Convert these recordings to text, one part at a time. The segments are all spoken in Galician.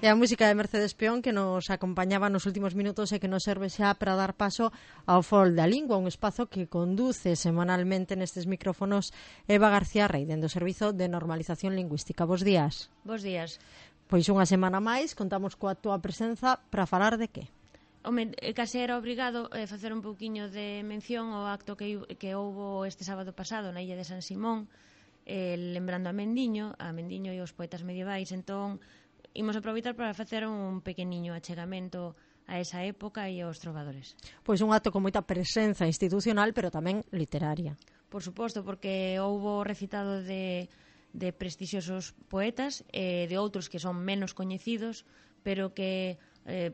E a música de Mercedes Peón que nos acompañaba nos últimos minutos e que nos serve xa para dar paso ao Fol da Lingua, un espazo que conduce semanalmente nestes micrófonos Eva García Rey, dende o Servizo de Normalización Lingüística. Bos días. Bos días. Pois unha semana máis, contamos coa túa presenza para falar de que? Home, case era obrigado facer un pouquiño de mención ao acto que houbo este sábado pasado na illa de San Simón, lembrando a Mendiño e os poetas medievais. Entón, imos aproveitar para facer un pequeniño achegamento a esa época e aos trovadores. Pois un acto con moita presenza institucional, pero tamén literaria. Por suposto, porque houbo recitado de prestixiosos poetas e de outros que son menos coñecidos, pero que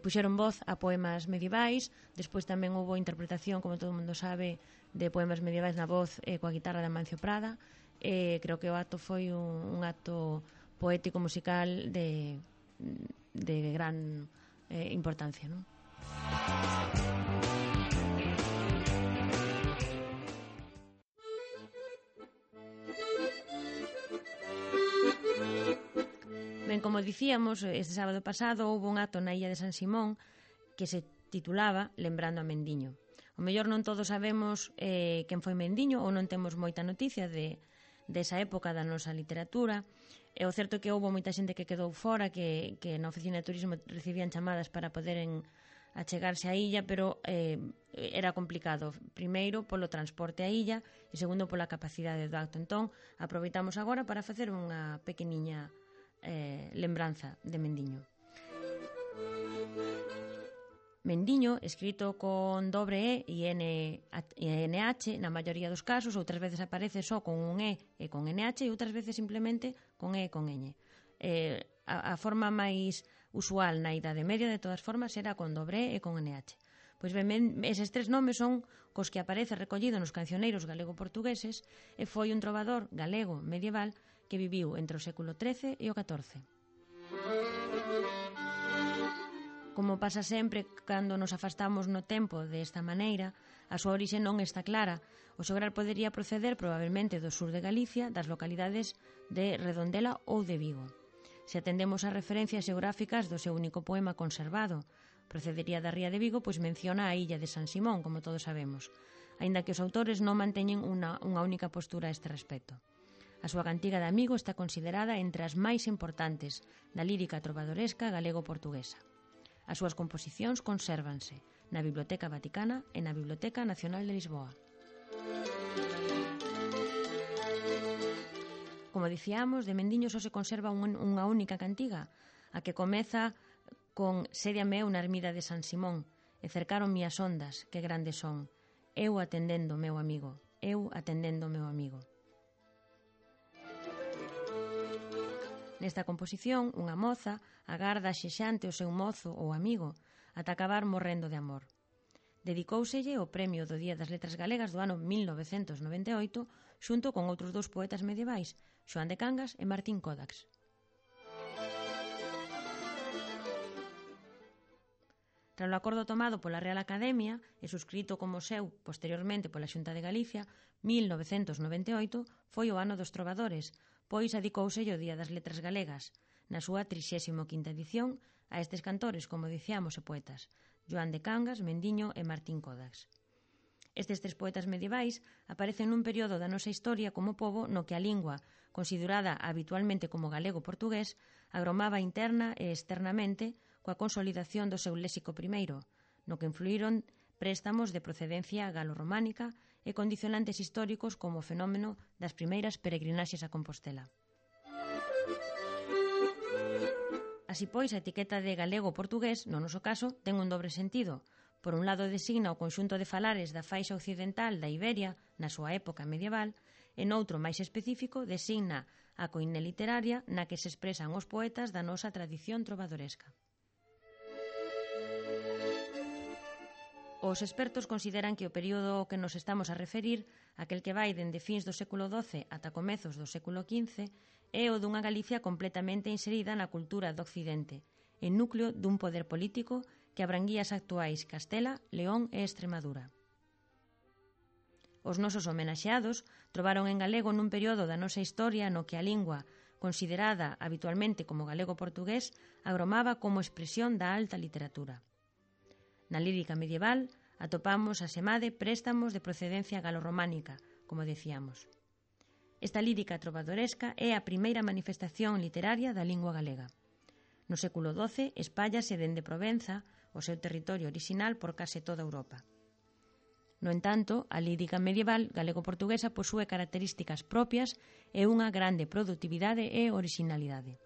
puxeron voz a poemas medievais. Despois tamén houbo interpretación, como todo o mundo sabe, de poemas medievais na voz coa guitarra de Amancio Prada. Creo que o acto foi un acto poético musical de gran importancia, non? Ben, como dicíamos, este sábado pasado houve un acto na illa de San Simón que se titulaba Lembrando a Mendiño. O mellor non todos sabemos quen foi Mendiño ou non temos moita noticia desa época da nosa literatura. E o certo é que houve moita xente que quedou fora, que na oficina de turismo recibían chamadas para poderen achegarse á illa, pero era complicado. Primeiro, polo transporte á illa e segundo, pola capacidade do acto. Entón, aproveitamos agora para facer unha pequeniña lembranza de Mendiño. Mendiño, escrito con dobre E e NH na maioría dos casos, outras veces aparece só con un E e con NH e outras veces simplemente con E e con Ñ. A forma máis usual na Idade Media, de todas formas, era con dobre E e con NH. Pois ben, eses tres nomes son cos que aparece recollido nos cancioneiros galego-portugueses e foi un trovador galego medieval que viviu entre o século XIII e o XIV. Como pasa sempre cando nos afastamos no tempo desta maneira, a súa orixe non está clara. O xograr podería proceder probablemente do sur de Galicia, das localidades de Redondela ou de Vigo. Se atendemos ás referencias xeográficas do seu único poema conservado, procedería da ría de Vigo, pois menciona a illa de San Simón, como todos sabemos, aínda que os autores non manteñen unha única postura a este respecto. A súa cantiga de amigo está considerada entre as máis importantes da lírica trovadoresca galego-portuguesa. As súas composicións consérvanse na Biblioteca Vaticana e na Biblioteca Nacional de Lisboa. Como dicíamos, de Mendiño só se conserva unha única cantiga, a que comeza con "Sédiame eu na ermida de San Simón, e cercaronme as ondas, que grandes son, eu atendendo meu amigo, eu atendendo meu amigo". Nesta composición, unha moza agarda xexante o seu mozo ou amigo ata acabar morrendo de amor. Dedicóuselle o Premio do Día das Letras Galegas do ano 1998 xunto con outros dous poetas medievais, Xoán de Cangas e Martín Codax. Tras o acordo tomado pola Real Academia e suscrito como seu posteriormente pola Xunta de Galicia, 1998 foi o ano dos trovadores, pois adicóuselle o Día das Letras Galegas, na súa 35ª edición, a estes cantores, como dicíamos, e poetas, Xoán de Cangas, Mendiño e Martín Codax. Estes tres poetas medievais aparecen nun período da nosa historia como pobo no que a lingua, considerada habitualmente como galego-portugués, agromaba interna e externamente coa consolidación do seu léxico primeiro, no que influíron préstamos de procedencia galo-románica e condicionantes históricos como o fenómeno das primeiras peregrinaxes a Compostela. Así pois, a etiqueta de galego-portugués, no noso caso, ten un dobre sentido. Por un lado designa o conxunto de falares da faixa occidental da Iberia na súa época medieval, e noutro máis específico designa a coine literaria na que se expresan os poetas da nosa tradición trovadoresca. Os expertos consideran que o período ao que nos estamos a referir, aquel que vai dende fins do século XII ata comezos do século XV, é o dunha Galicia completamente inserida na cultura do Occidente, en núcleo dun poder político que abranguía as actuais Castela, León e Extremadura. Os nosos homenaxeados trovaron en galego nun período da nosa historia no que a lingua considerada habitualmente como galego-portugués, agromaba como expresión da alta literatura. Na lírica medieval atopamos asemade préstamos de procedencia galorrománica, como decíamos. Esta lírica trovadoresca é a primeira manifestación literaria da lingua galega. No século XII espállase dende Provenza, o seu territorio orixinal, por case toda Europa. No entanto, a lírica medieval galego-portuguesa posúe características propias e unha grande produtividade e originalidade.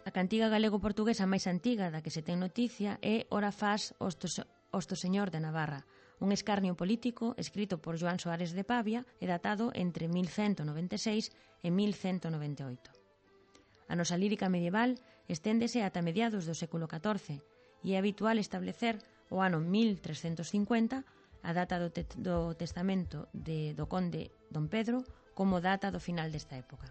A cantiga galego-portuguesa máis antiga da que se ten noticia é Ora fas Osto Señor de Navarra, un escarnio político escrito por Joan Soares de Pavia e datado entre 1196 e 1198. A nosa lírica medieval esténdese ata mediados do século XIV, e é habitual establecer o ano 1350, a data do testamento do conde Don Pedro, como data do final desta época.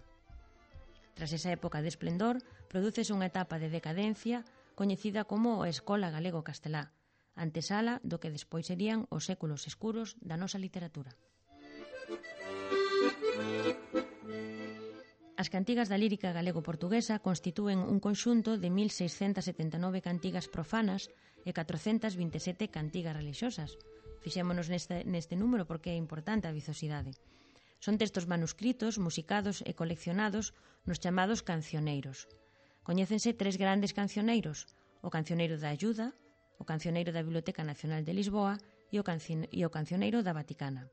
Tras esa época de esplendor, prodúcese unha etapa de decadencia coñecida como a Escola Galego-Castelá, antesala do que despois serían os séculos escuros da nosa literatura. As cantigas da lírica galego-portuguesa constitúen un conxunto de 1679 cantigas profanas e 427 cantigas religiosas. Fixémonos neste número porque é importante a vizosidade. Son textos manuscritos, musicados e coleccionados nos chamados cancioneiros. Coñécense tres grandes cancioneiros: o Cancioneiro da Ayuda, o Cancioneiro da Biblioteca Nacional de Lisboa e o Cancioneiro da Vaticana.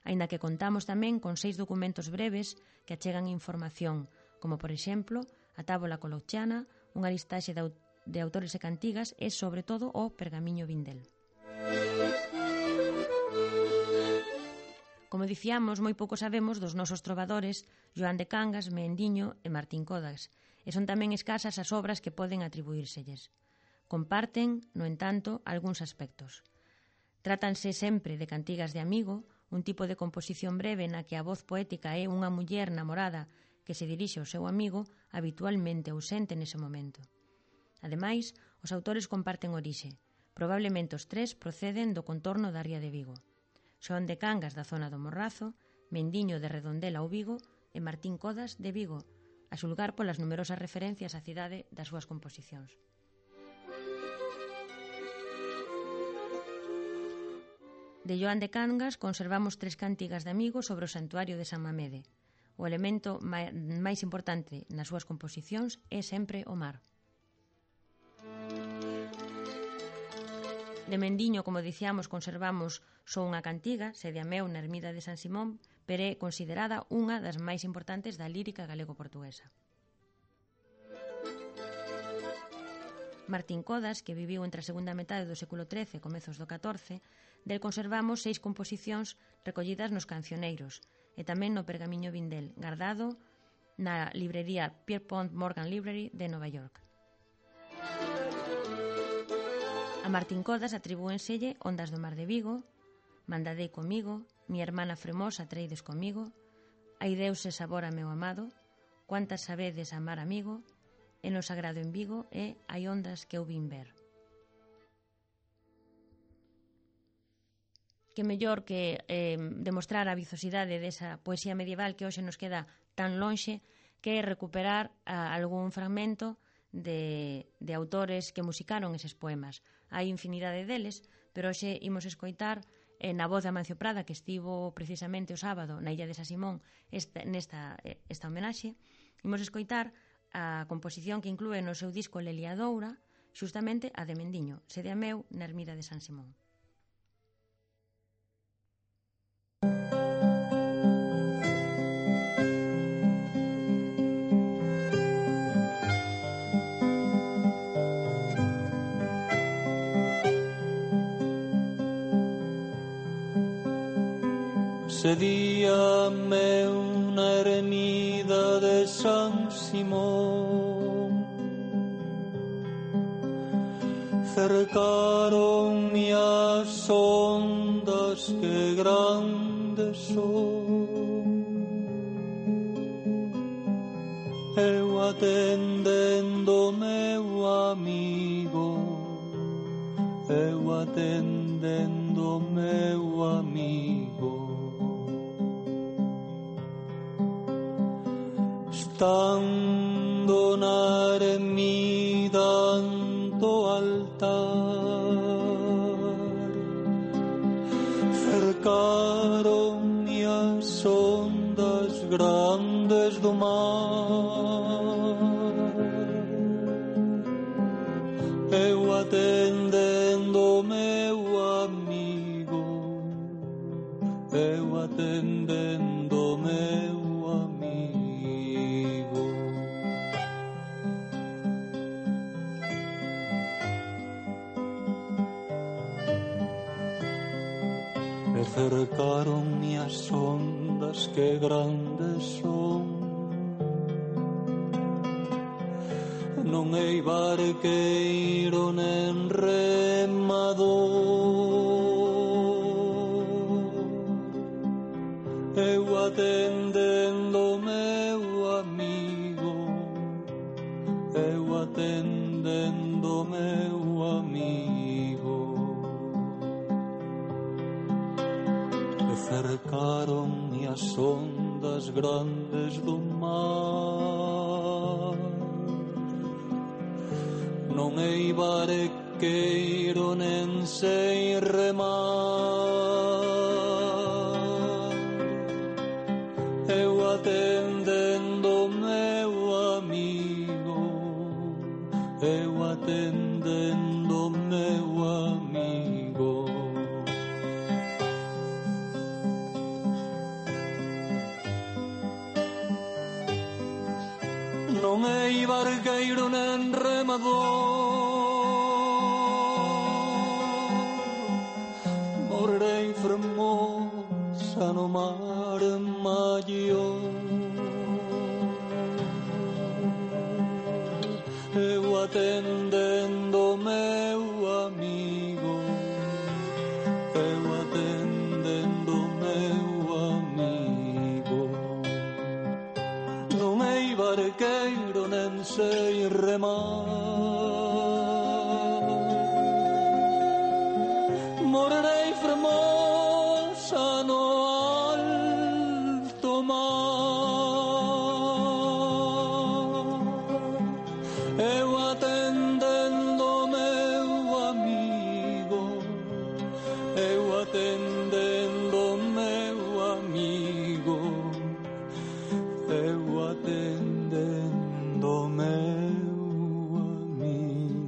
Aínda que contamos tamén con 6 documentos breves que achegan información, como, por exemplo, a Tábola Colochiana, unha listaxe de autores e cantigas e, sobre todo, o Pergamiño Vindel. Como dicíamos, moi pouco sabemos dos nosos trovadores Joan de Cangas, Meendiño e Martín Codas, e son tamén escasas as obras que poden atribuírselles. Comparten, no entanto, algúns aspectos. Trátanse sempre de cantigas de amigo, un tipo de composición breve na que a voz poética é unha muller namorada que se dirixe ao seu amigo, habitualmente ausente nese momento. Ademais, os autores comparten orixe. Probablemente os tres proceden do contorno da ría de Vigo. Xoan de Cangas da zona do Morrazo, Mendiño de Redondela ou Vigo e Martín Codas de Vigo, a xulgar polas numerosas referencias á cidade das súas composicións. De Joan de Cangas conservamos 3 cantigas de amigo sobre o santuario de San Mamede. O elemento máis importante nas súas composicións é sempre o mar. De Mendiño, como dicíamos, conservamos só unha cantiga, Sede Ameu na ermida de San Simón, pero é considerada unha das máis importantes da lírica galego-portuguesa. Martín Codas, que viviu entre a segunda metade do século XIII e comezos do XIV, del conservamos 6 composicións recollidas nos cancioneiros e tamén no Pergamiño Vindel, guardado na librería Pierpont Morgan Library de Nova York. A Martín Codas atribúenselle Ondas do mar de Vigo, Mandadei comigo, Mi hermana fremosa treides comigo, Ai Deus e sabor a meu amado, Cuantas sabedes amar amigo, E no sagrado en Vigo e Hai ondas que eu vin ver. Que mellor que demostrar a vizosidade desa poesía medieval que hoxe nos queda tan lonxe, que recuperar algún fragmento de autores que musicaron eses poemas. Hai infinidade deles, pero hoxe imos escoitar na voz de Amancio Prada, que estivo precisamente o sábado na illa de San Simón esta homenaxe. Imos escoitar a composición que inclúe no seu disco Leliadoura, xustamente a de Mendiño, Sede Ameu na ermida de San Simón. Sedíame una ermida de San Simón, cercaronme as ondas que grandes son, eu atendendo meu amigo, eu atendendo meu amigo. estando na ermida do altar, cercaron-me as ondas grandes do mar. Eu atendendo meu amigo, eu atendendo meu amigo. Me cercaron-me as ondas que grandes son. Non hei barqueiro nen remador. Eu atendendo meu amigo, eu atendendo meu amigo. E cercaron-me as ondas grandes do mar. Non hei barqueiro nen sei remar. Eu atendendo meu amigo, eu atendendo meu amigo. Non hei barqueiro nen remador. Morrerei fermosa no mar maior. Eu atendendo meu amigo, eu atendendo meu amigo. Non hei barqueiro nen sei remar. Morrerei fermosa no alto mar. Eu atendendo meu amigo, eu atendendo meu amigo, eu atendendo meu amigo.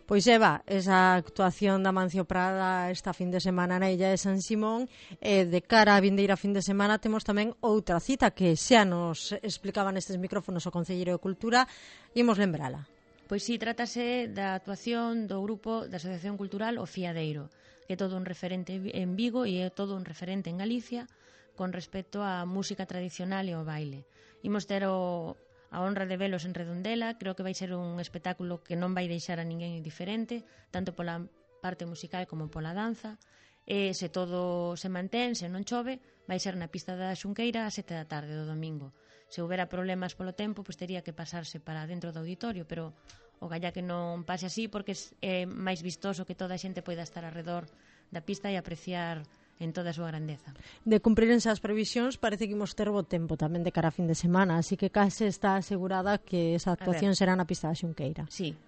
Pois Eva, esa actuación da Mancio Prada esta fin de semana na Illa de San Simón, de cara á vindeira fin de semana temos tamén outra cita que xa nos explicaba nestes micrófonos o Concelleiro de Cultura, imos lembrala. Pois si, trátase da actuación do grupo da Asociación Cultural O Fiadeiro, que é todo un referente en Vigo e é todo un referente en Galicia con respecto á música tradicional e ao baile. Imos ter a honra de velos en Redondela. Creo que vai ser un espectáculo que non vai deixar a ninguén indiferente, tanto pola parte musical como pola danza. E se todo se mantén, se non chove, vai ser na pista da Xunqueira a 7 da tarde do domingo. Se houbera problemas polo tempo, pois tería que pasarse para dentro do auditorio, pero o galla que non pase así, porque é máis vistoso que toda a xente poida estar alrededor da pista e apreciar en toda a súa grandeza. De cumprírense as previsións, parece que imos ter bo tempo tamén de cara a fin de semana, así que case está asegurada que esa actuación será na pista da Xunqueira. Sí.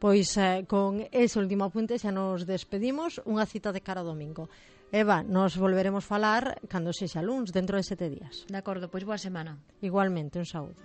Pois con ese último apunte xa nos despedimos. Unha cita de cara ao domingo. Eva, nos volveremos falar cando sexa luns, dentro de 7 días. De acordo, pois boa semana. Igualmente, un saúdo.